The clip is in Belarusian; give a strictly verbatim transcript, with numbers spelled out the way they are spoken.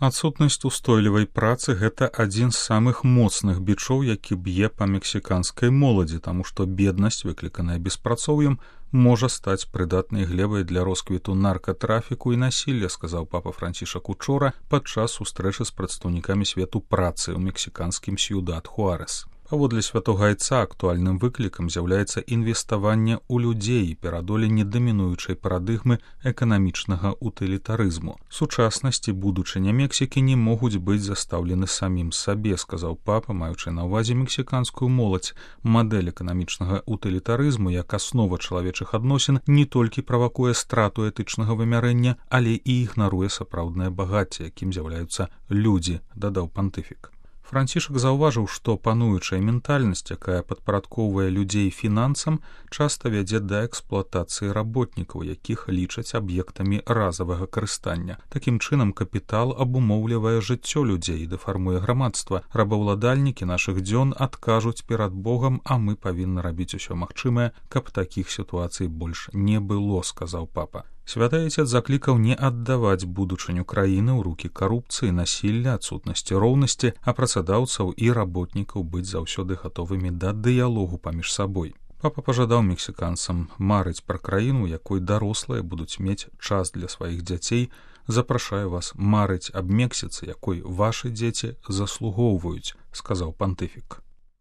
Адсутнасць устойлівай працы — гэта адзін з самых моцных бичоў, які б'е па мексіканскай моладзі, таму што беднасць, выкліканая беспрацоўем, можа стаць прыдатнай глебай для росквіту наркатрафіку і насілля, сказаў папа Францішак учора падчас сустрэчы з прадстаўнікамі свету працы ў мексіканскім Сьюдад-Хуарэс. Паводле святога айца актуальным выклікам з'яўляецца інвеставанне ў людзей і перадоленне дамінуючай парадыгмы эканамічнага утылітарызму. Сучаснасць і будучыня Мексікі не могуць быць застаўлены самім сабе, сказаў папа, маючы на ўвазе мексіканскую моладзь. Мадэль эканамічнага утылітарызму як аснова чалавечых адносін не толькі правакуе страту этычнага вымярэння, але і ігнаруе сапраўднае багацце, якім з'яўляюцца людзі, дадаў пантыфік. Францішак заўважыў, што пануючая ментальнасць, якая падпарадкоўвае людзей фінансам, часта вядзе да эксплуатацыі работнікаў, якіх лічаць аб'ектамі разавага карыстання. Такім чынам капітал абумоўлівае жыццё людзей і дэфармуе грамадства. Рабаўладальнікі нашых дзён адкажуць перад Богам, а мы павінны рабіць усё магчымае, каб такіх сітуацый больш не было, сказаў папа. Святы Айцец заклікаў не аддаваць будучыню краіны ў рукі карупцыі, насілля, адсутнасці роўнасці, а працадаўцаў і работнікаў быць заўсёды гатовымі да дыялогу паміж сабой. Папа пажадаў мексіканцам марыць пра краіну, якой дарослыя будуць мець час для сваіх дзяцей. Запрашаю вас марыць аб Мексіцы, якой вашы дзеці заслугоўваюць, сказаў пантыфік.